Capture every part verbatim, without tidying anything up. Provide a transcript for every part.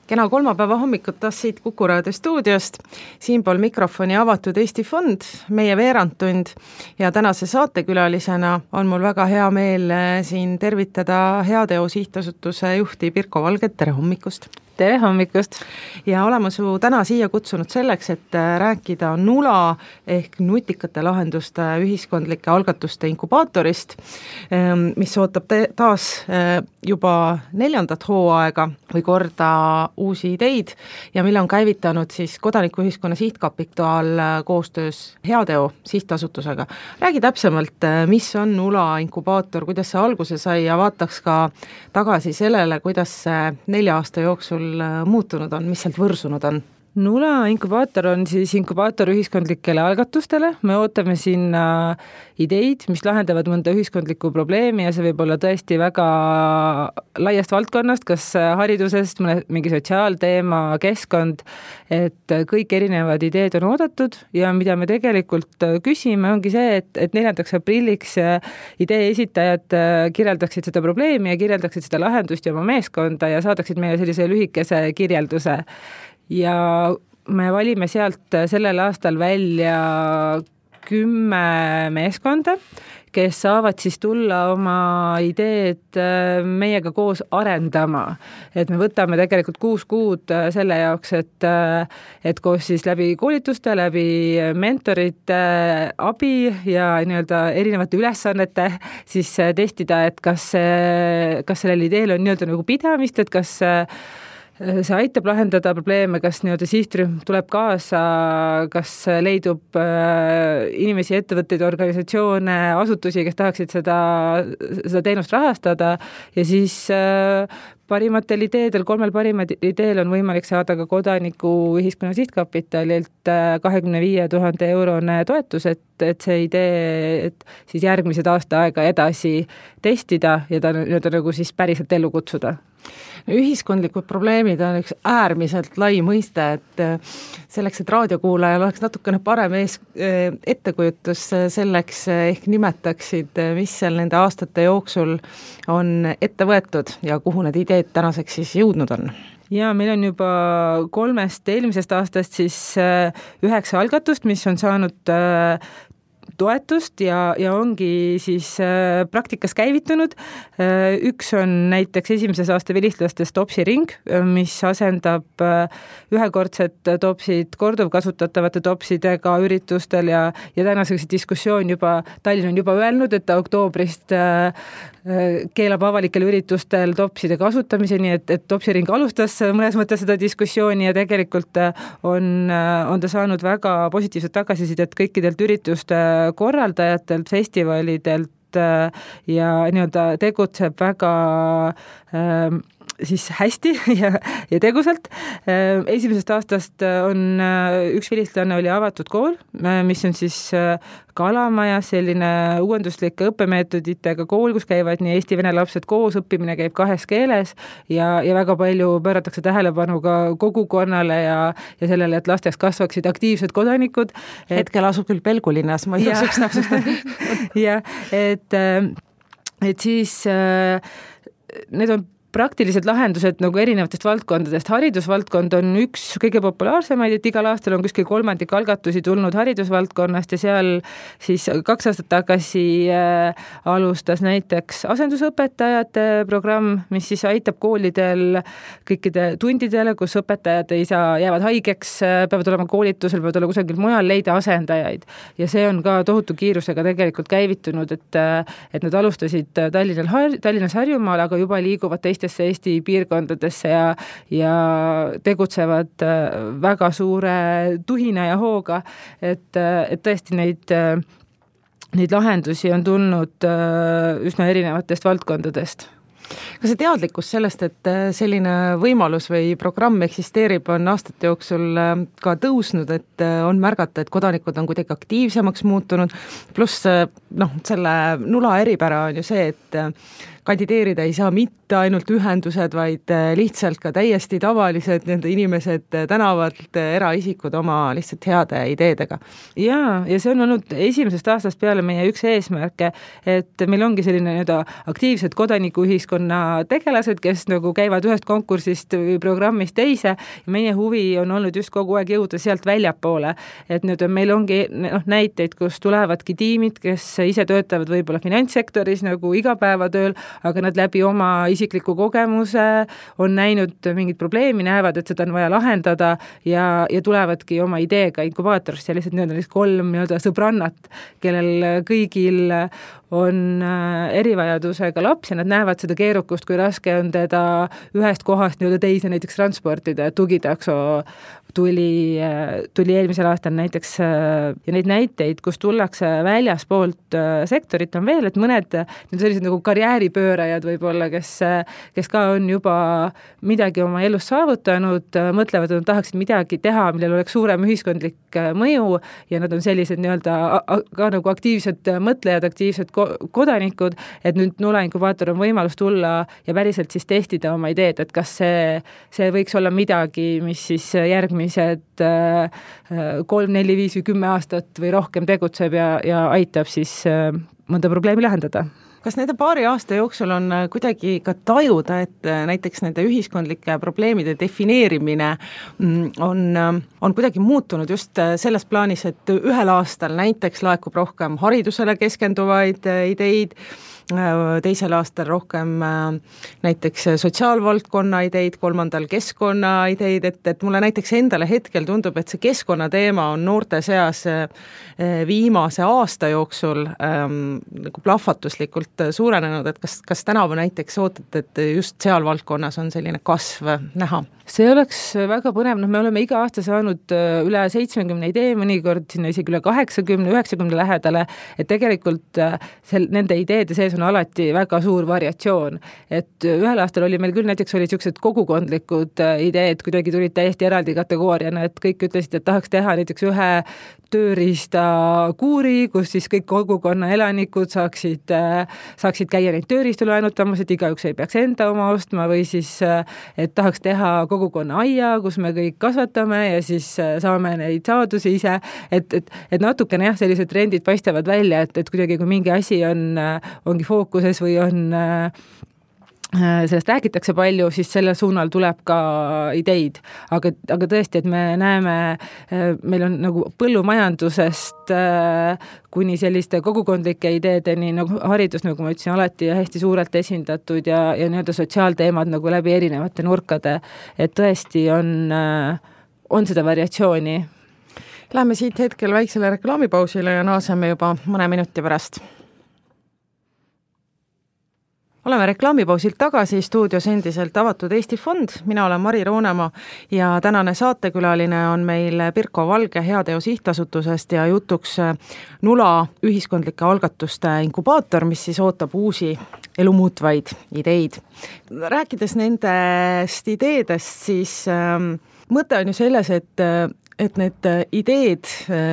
Kena kolmapäeva hommikut taas siit Kuku Raadio stuudiost. Siinpool mikrofoni avatud Eesti Fond, meie veerandtund ja tänase saatekülalisena on mul väga hea meel siin tervitada Heateo Sihtasutuse juhti Pirko Valget. Tere hommikust! Tere hommikust! Ja oleme su täna siia kutsunud selleks, et rääkida Nula ehk nutikate lahenduste ühiskondlike algatuste inkubaatorist, mis ootab taas juba neljandat hooaega või korda uusi ideid ja mille on käivitanud siis Kodanikuühiskonna Sihtkapital koostöös Heateo Sihtasutusega. Räägi täpsemalt, mis on Nula inkubaator, kuidas see alguse sai ja vaataks ka tagasi sellele, kuidas see nelja aasta jooksul muutunud on, mis sealt võrsunud on? Nula inkubaator on siis inkubaator ühiskondlikele algatustele. Me ootame sinna ideid, mis lahendavad mõnda ühiskondlikku probleemi ja see võib olla tõesti väga laiast valdkonnast, kas haridusest, mõne, mingi sotsiaalteema, keskkond, et kõik erinevad ideed on oodatud ja mida me tegelikult küsime, ongi see, et, et neljandaks aprilliks idee esitajad kirjeldaksid seda probleemi ja kirjeldaksid seda lahendust ja oma meeskonda ja saadaksid meile sellise lühikese kirjelduse. Ja me valime sealt sellel aastal välja kümme meeskonda, kes saavad siis tulla oma ideed meiega koos arendama. Et me võtame tegelikult kuus kuud selle jaoks, et, et koos siis läbi koolituste, läbi mentorite abi ja nii-öelda erinevate ülesannete siis testida, et kas, kas sellel ideel on nii-öelda nagu pidamist, et kas see aitab lahendada probleeme, kas nii-öelda sihtrühm tuleb kaasa, kas leidub inimesi, ettevõtteid, organisatsioone, asutusi, kes tahaksid seda, seda teenust rahastada ja siis parimatel ideedel, kolmel parimal ideel on võimalik saada ka Kodanikuühiskonna Sihtkapitalilt kahekümne viie tuhande eurone toetus, et, et see idee, et siis järgmised aasta aega edasi testida ja ta nii-öelda nagu siis päriselt ellu kutsuda. Ühiskondlikud probleemid on üks äärmiselt lai mõiste, et selleks, et raadiokuulajal oleks natukene parem ees, ettekujutus selleks ehk nimetaksid, mis seal nende aastate jooksul on ette võetud ja kuhu need ideed tänaseks siis jõudnud on? Ja meil on juba kolmest eelmisest aastast siis üheksa algatust, mis on saanud toetust ja, ja ongi siis äh, praktikas käivitunud. Äh, üks on näiteks esimeses aasta vilistlastes topsiring, mis asendab äh, ühekordset topsid korduvkasutatavate topsidega üritustel ja, ja tänaseks diskussioon juba, Tallinn on juba öelnud, et ta oktoobrist äh, keelab avalikel üritustel topside kasutamise, nii et, et topsiring alustas mõnes mõttes seda diskussiooni ja tegelikult on, on ta saanud väga positiivset tagasisidet kõikidelt ürituste korraldajatelt, festivalidelt ja nii-öelda tegutseb väga äh, siis hästi ja, ja tegusalt. Esimesest aastast on üks vilistlane oli avatud kool, mis on siis Kalamaja, selline uuenduslike õppemeetoditega kool, kus käivad nii eesti vene lapsed koos, õppimine käib kahes keeles ja, ja väga palju pööratakse tähelepanu ka kogukonnale ja, ja sellele, et lasteks kasvaksid aktiivsed kodanikud. Et... Hetkel asub küll Pelgulinnas, ma ei osaks täpsustada. Ja, et, et siis need on praktilised lahendused nagu erinevatest valdkondadest. Haridusvaldkond on üks kõige populaarsemaid, et igal aastal on kuskil kolmandik algatusi tulnud haridusvaldkonnast ja seal siis kaks aastat tagasi äh, alustas näiteks asendusõpetajate programm, mis siis aitab koolidel kõikide tundidele, kus õpetajad ei saa, jäävad haigeks, peavad olema koolitusel, peavad olema kusagil mujal, leida asendajaid. Ja see on ka tohutu kiirusega tegelikult käivitunud, et, et nad alustasid Tallinnal, Tallinnas Harjumaal, aga juba liiguvad teistesse Eesti piirkondadesse ja, ja tegutsevad väga suure tuhina ja hooga, et, et tõesti neid, neid lahendusi on tulnud üsna erinevatest valdkondadest. Kas see teadlikkus sellest, et selline võimalus või programm eksisteerib, on aastate jooksul ka tõusnud, et on märgata, et kodanikud on kuidagi aktiivsemaks muutunud, pluss noh, selle Nula eripära on ju see, et kandideerida ei saa mitte ainult ühendused, vaid lihtsalt ka täiesti tavalised nende inimesed tänavalt, eraisikud oma lihtsalt heade ideedega. Jaa, ja see on olnud esimesest aastast peale meie üks eesmärke, et meil ongi selline nii-öelda aktiivsed kodanikuühiskonna tegelased, kes nagu käivad ühest konkursist või programmist teise ja meie huvi on olnud just kogu aeg jõuda sealt väljapoole. Et nüüd meil ongi noh, näiteid, kus tulevadki tiimid, kes ise töötavad võib-olla finantssektoris nagu igapäevatööl, aga nad läbi oma isikliku kogemuse on näinud mingit probleemi, näevad, et seda on vaja lahendada ja, ja tulevadki oma ideega inkubaatorist ja lihtsalt nii-öelda kolm nii-öelda sõbrannat, kellel kõigil on erivajadusega laps ja nad näevad seda keerukust, kui raske on teda ühest kohast nii-öelda teise näiteks transportida, tugitakso tuli, tuli eelmisel aastal näiteks ja neid näiteid, kus tullakse väljaspoolt sektorit on veel, et mõned sellised nagu karjääripöörajad võib-olla, kes, kes ka on juba midagi oma elus saavutanud, mõtlevad, et nad tahaksid midagi teha, millel oleks suurem ühiskondlik mõju ja nad on sellised nii-öelda ka nagu aktiivsed mõtlejad, aktiivsed kodanikud, et nüüd Nula inkubaator on võimalus tulla ja päriselt siis testida oma ideed, et kas see, see võiks olla midagi, mis siis järgmised kolm, neli, viis või kümme aastat või rohkem tegutseb ja, ja aitab siis mõnda probleemi lahendada. Kas nende paari aasta jooksul on kuidagi ka tajuda, et näiteks nende ühiskondlike probleemide defineerimine on, on kuidagi muutunud just selles plaanis, et ühel aastal näiteks laekub rohkem haridusele keskenduvaid ideid, teisel aastal rohkem näiteks sotsiaalvaldkonna ideid, kolmandal keskkonna ideid, et, et mulle näiteks endale hetkel tundub, et see keskkonnateema on noorte seas viimase aasta jooksul ähm, nagu plahvatuslikult suurenenud, et kas, kas tänavu näiteks ootate, et just seal valdkonnas on selline kasv näha? See oleks väga põnev, noh me oleme iga aasta saanud üle seitsmekümne idee, mõnikord sinna isegi üle kaheksakümne, üheksakümne lähedale, et tegelikult sel, nende ideede sees on alati väga suur variatsioon. Et ühel aastal oli meil küll näiteks oli sellised kogukondlikud ideed, kuidagi tulid täiesti eraldi kategooriana, et kõik ütlesid, et tahaks teha näiteks ühe tööriista kuuri, kus siis kõik kogukonna elanikud saaksid, saaksid käia neid tööriistu laenutamas, et igaüks ei peaks enda oma ostma või siis, et tahaks teha kogukonna aia, kus me kõik kasvatame ja siis saame neid saadusi ise, et, et, et natukene jah, sellised trendid paistavad välja, et, et kuidagi kui mingi asi on, ongi fookuses või on sellest räägitakse palju, siis selle suunal tuleb ka ideid, aga, aga tõesti, et me näeme, meil on nagu põllumajandusest kuni selliste kogukondlike ideedeni, nagu haridus, nagu ma ütlesin, alati hästi suurelt esindatud ja, ja nii-öelda sotsiaalteemad nagu läbi erinevate nurkade, et tõesti on, on seda variatsiooni. Läheme siit hetkel väiksele reklaamipausile ja naaseme juba mõne minuti pärast. Oleme reklaamipausilt tagasi, stuudios endiselt avatud Eesti Fond, mina olen Mari Roonemaa ja tänane saatekülaline on meil Pirko Valge Heateo sihtasutusest ja jutuks Nula ühiskondlike algatuste inkubaator, mis siis ootab uusi elumuutvaid ideid. Rääkides nendest ideedest, siis ähm, mõte on ju selles, et et need ideed,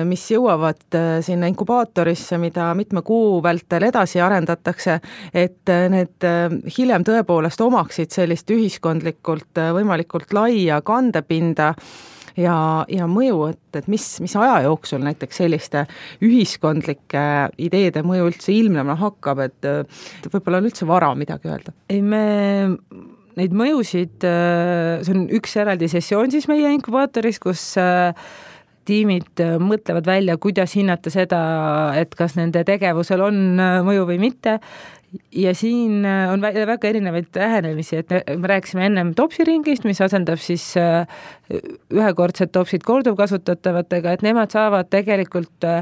mis jõuavad sinna inkubaatorisse, mida mitme kuu vältel edasi arendatakse, et need hiljem tõepoolest omaksid sellist ühiskondlikult võimalikult laia kandepinda ja, ja mõju, et, et mis, mis aja jooksul näiteks selliste ühiskondlike ideede mõju üldse ilmnema hakkab, et, et võib-olla on üldse vara midagi öelda. Ei, me neid mõjusid, see on üks eraldi sessioon siis meie inkubaatoris, kus tiimid mõtlevad välja, kuidas hinnata seda, et kas nende tegevusel on mõju või mitte. Ja siin on väga erinevaid lähenemisi, et me rääkisime ennem topsiringist, mis asendab siis ühekordsed topsid korduvkasutatavatega, et nemad saavad tegelikult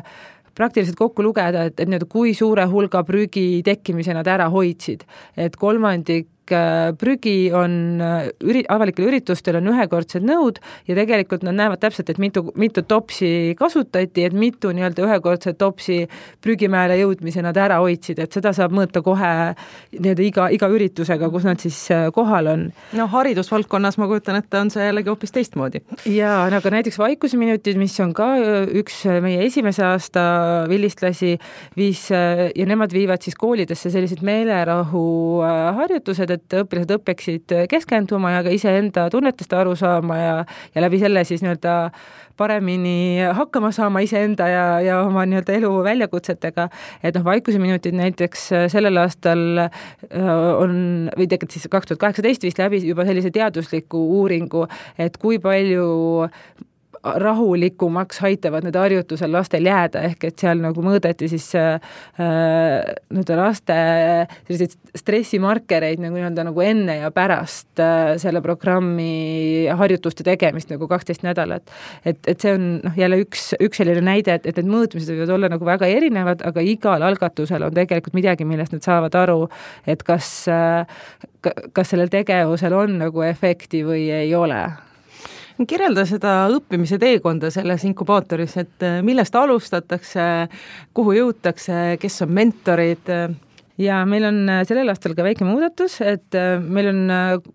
praktiliselt kokku lugeda, et, et kui suure hulga prügi tekkimise nad ära hoidsid. Et kolmandik prügi on üri, avalikel üritustel on ühekordsed nõud ja tegelikult nad näevad täpselt, et mitu, mitu topsi kasutati, et mitu nii-öelda ühekordset topsi prügimäele jõudmise nad ära hoidsid, et seda saab mõõta kohe nii-öelda iga, iga üritusega, kus nad siis kohal on. No haridusvaldkonnas ma kujutan, et on see jällegi hoopis teistmoodi. Jaa, aga näiteks Vaikuseminutid, mis on ka üks meie esimese aasta vilistlasi, viis ja nemad viivad siis koolidesse sellised meelerahu harjutused, et õpilased õppeksid keskenduma ja ka iseenda tunnetest aru saama ja, ja läbi selle siis nii-öelda paremini hakkama saama iseenda ja, ja oma nii-öelda elu väljakutsetega. Et noh, Vaikuseminutid näiteks sellel aastal on, või tegelikult siis kaks tuhat kaheksateist vist läbi juba sellise teadusliku uuringu, et kui palju rahulikumaks aitavad need harjutusel lastel jääda, ehk et seal nagu mõõdeti siis äh, nüüd laste selliseid stressimarkereid nagu, nii-öelda nagu enne ja pärast äh, selle programmi harjutuste tegemist nagu kaksteist nädalat. Et, et see on noh, jälle üks, üks selline näide, et, et need mõõtmised võivad olla nagu väga erinevad, aga igal algatusel on tegelikult midagi, millest nad saavad aru, et kas, äh, kas sellel tegevusel on nagu efekti või ei ole. Kirjelda seda õppimise teekonda selles inkubaatoris, et millest alustatakse, kuhu jõutakse, kes on mentorid? Ja meil on sellel aastal ka väike muudatus, et meil on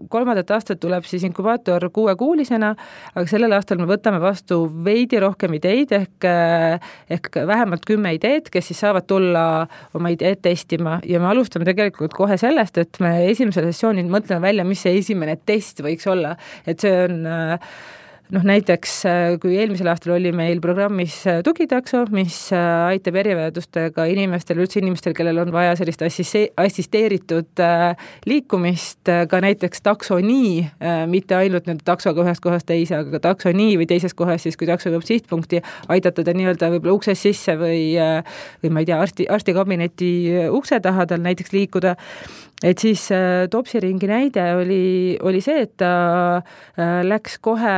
kolmandat aastat tuleb siis inkubaator kuuekuulisena, aga sellel aastal me võtame vastu veidi rohkem ideid ehk, ehk vähemalt kümme ideed, kes siis saavad tulla oma ideed testima ja me alustame tegelikult kohe sellest, et me esimesel sessioonil mõtleme välja, mis see esimene test võiks olla, et see on noh, näiteks kui eelmisel aastal oli meil programmis tugitakso, mis aitab erivajadustega inimestel, üldse inimestel, kellel on vaja sellist assisteeritud liikumist, ka näiteks takso nii, mitte ainult nüüd taksoga ühest kohast teise, aga ka takso nii või teises kohas siis, kui takso jõuab sihtpunkti, aidata ta nii-öelda võib-olla ukses sisse või, või ma ei tea, arsti, arstikabineti ukse taha tal näiteks liikuda. Et siis äh, Topsiringi näide oli, oli see, et ta äh, läks kohe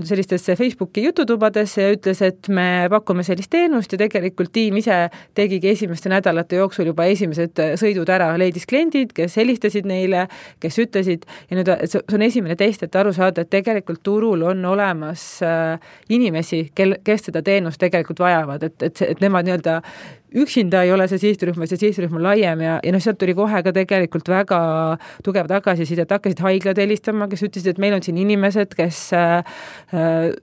sellistesse Facebooki jututubadesse ja ütles, et me pakume sellist teenust ja tegelikult tiim ise tegigi esimeste nädalate jooksul juba esimesed sõidud ära, leidis kliendid, kes helistasid neile, kes ütlesid ja nüüd see on esimene test, et aru saada, et tegelikult turul on olemas äh, inimesi, kel, kes seda teenust tegelikult vajavad, et, et, et nemad nii-öelda üksinda ei ole see sihtrühm, see sihtrühm on laiem ja, ja noh, sealt tuli kohe ka tegelikult väga tugev tagasiside, et hakkasid haiglad helistama, kes ütlesid, et meil on siin inimesed, kes äh,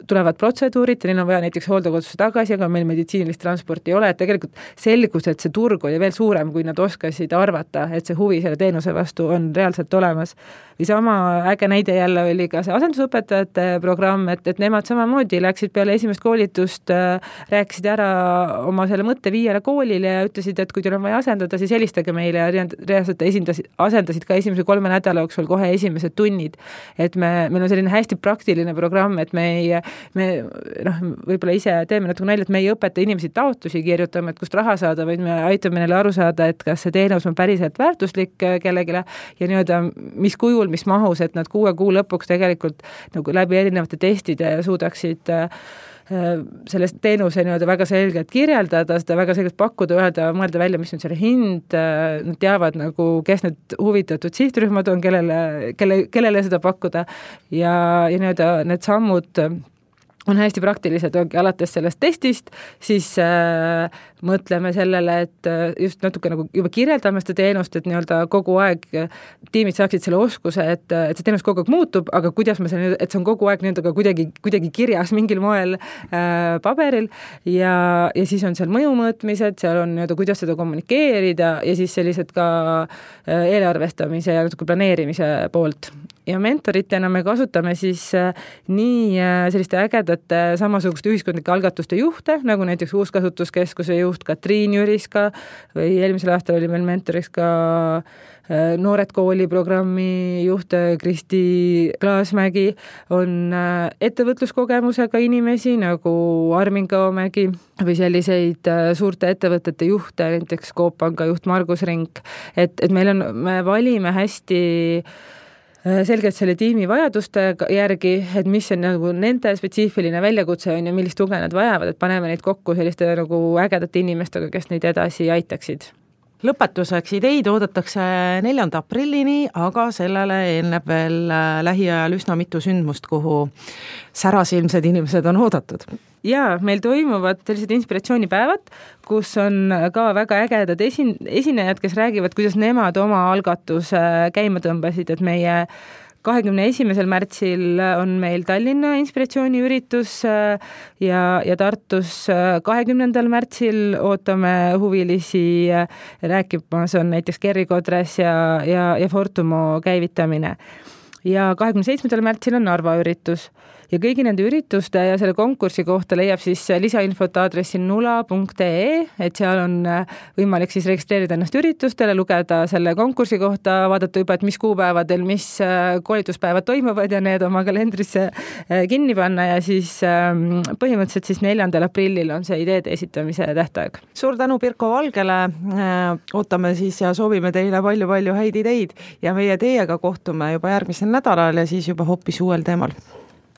tulevad protseduurid ja neil on vaja näiteks hooldekodusse tagasi, aga meil meditsiinilist transporti ei ole, et tegelikult selgus, et see turg oli veel suurem, kui nad oskasid arvata, et see huvi selle teenuse vastu on reaalselt olemas. Või sama äge näide jälle oli ka see asendusõpetajate programm, et, et nemad samamoodi läksid peale esimest koolitust, äh, rääkisid ära oma selle mõtte viiele koolile ja ütlesid, et kui teil on vaja asendada, siis helistage meile ja reaalselt esindasid, asendasid ka esimese kolme nädala jooksul kohe esimesed tunnid. Et me, meil on selline hästi praktiline programm, et me ei, me noh, võib-olla ise teeme natuke nalja, et me ei õpeta inimesi taotlusi kirjutama, et kust raha saada, vaid me aitame neile aru saada, et kas see teenus on päriselt väärtuslik kellegile ja nii-öelda mis kujul, mis mahus, et nad kuue kuu lõpuks tegelikult nagu läbi erinevate testide suudaksid sellest teenuse nii-öelda väga selgelt kirjeldada, seda väga selgelt pakkuda, öelda, mõelda välja, mis on selle hind, nad teavad nagu, kes need huvitatud sihtrühmad on, kellele, kelle, kellele seda pakkuda ja, ja nii-öelda need sammud on hästi praktilised, ongi alates sellest testist, siis äh, mõtleme sellele, et just natuke nagu juba kirjeldame seda teenust, et nii-öelda kogu aeg tiimid saaksid selle oskuse, et, et see teenus kogu aeg muutub, aga kuidas me selle, et see on kogu aeg nii-öelda kuidagi, kuidagi kirjas mingil moel äh, paberil ja, ja siis on seal mõjumõõtmised, seal on nii-öelda kuidas seda kommunikeerida ja siis sellised ka äh, eelarvestamise ja natuke planeerimise poolt. Ja mentoritena me kasutame siis äh, nii äh, selliste ägedate samasuguste ühiskondlike algatuste juhte, nagu näiteks Uuskasutuskeskuse juht Katriin Jüriska või eelmisel aastal oli meil mentoriks ka äh, Noored kooli programmi juht Kristi Klaasmägi, on äh, ettevõtluskogemusega inimesi nagu Armin Kaomägi või selliseid äh, suurte ettevõtete juhte, näiteks Coop Panga juht Margus Rink, et, et meil on, me valime hästi selgelt selle tiimi vajaduste järgi, et mis on nagu nende spetsiifiline väljakutse on ja millist tuge nad vajavad, et paneme neid kokku selliste nagu ägedate inimestega, kes neid edasi aitaksid. lõpetuseks, ideid oodatakse neljanda aprillini, aga sellele eelneb veel lähiajal üsna mitu sündmust, kuhu särasilmsed inimesed on oodatud. Jaa, meil toimuvad sellised inspiratsioonipäevad, kus on ka väga ägedad esin- esinejad, kes räägivad, kuidas nemad oma algatuse käima tõmbasid, et meie kahekümne esimesel märtsil on meil Tallinna inspiratsiooniüritus ja, ja Tartus kahekümnendal märtsil ootame huvilisi rääkimas on näiteks Gerri Kodres ja, ja, ja Fortumo käivitamine. Ja kahekümne seitsmendal märtsil on Narva üritus. Ja kõigi nende ürituste ja selle konkursi kohta leiab siis lisainfot aadressil nula punkt ee, et seal on võimalik siis registreerida ennast üritustele, lugeda selle konkursi kohta, vaadata juba, et mis kuupäevadel, mis koolituspäevad toimuvad ja need oma kalendrisse kinni panna ja siis põhimõtteliselt siis neljandal aprillil on see ideede esitamise tähtaeg. Suur tänu Pirko Valgele, ootame siis ja soovime teile palju-palju häid ideid ja meie teiega kohtume juba järgmisel nädalal ja siis juba hoopis uuel teemal.